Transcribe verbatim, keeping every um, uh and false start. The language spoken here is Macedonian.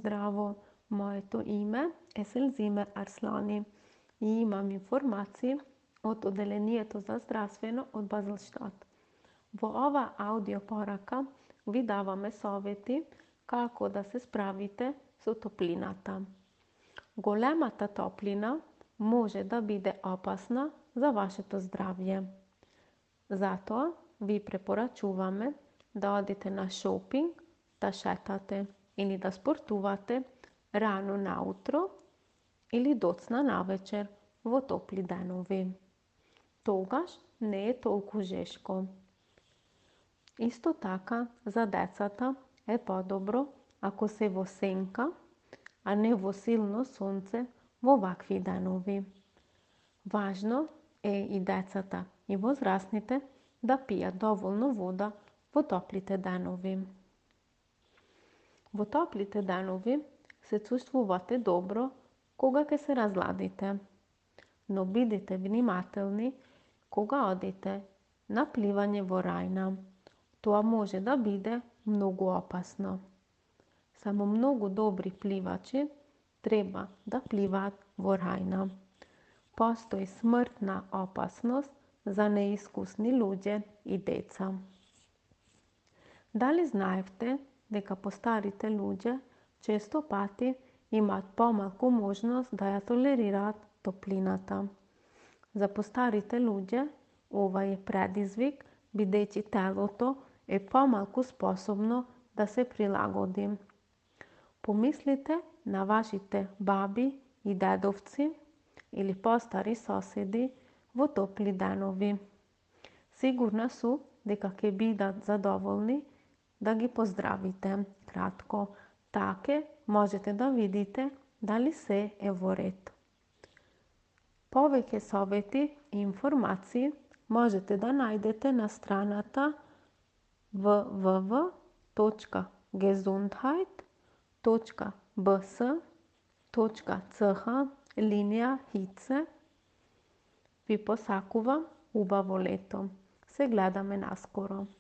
Здраво, моето име е Селзиме Арслани и имам информации од Оделението за здравствено од Базелштат. Во ова аудио порака ви даваме совети како да се справите со топлината. Големата топлина може да биде опасна за вашето здравје. Затоа ви препорачуваме да одите на шопинг, да шетате или да спортувате рано наутро или доцна навечер во топли денови. Тогаш не е толку жешко. Исто така, за децата е подобро ако се во сенка, а не во силно сонце во вакви денови. Важно е и децата и возрастните да пијат доволно вода во топлите денови. Во топлите денови се чувствувате добро кога ќе се разладите, но бидете внимателни кога одите на пливање во рајна. Тоа може да биде многу опасно. Само многу добри пливачи треба да пливаат во рајна. Постои смртна опасност за неискусни луѓе и деца. Дали знаевте дека постарите луѓе често пати имаат помалку можност да ја толерираат топлината? За постарите луѓе ова е предизвик бидејќи телото е помалку способно да се прилагоди. Помислите на вашите баби и дедовци или постари соседи во топли денови. Сигурна су дека ќе бидат задоволни да ги поздравите кратко. Таке можете да видите дали се е во ред. Повеќе совети и информации можете да најдете на страната w w w точка gesundheit точка b s точка c h линија Hitze. Ви посакувам убаво лето. Се гледаме наскоро.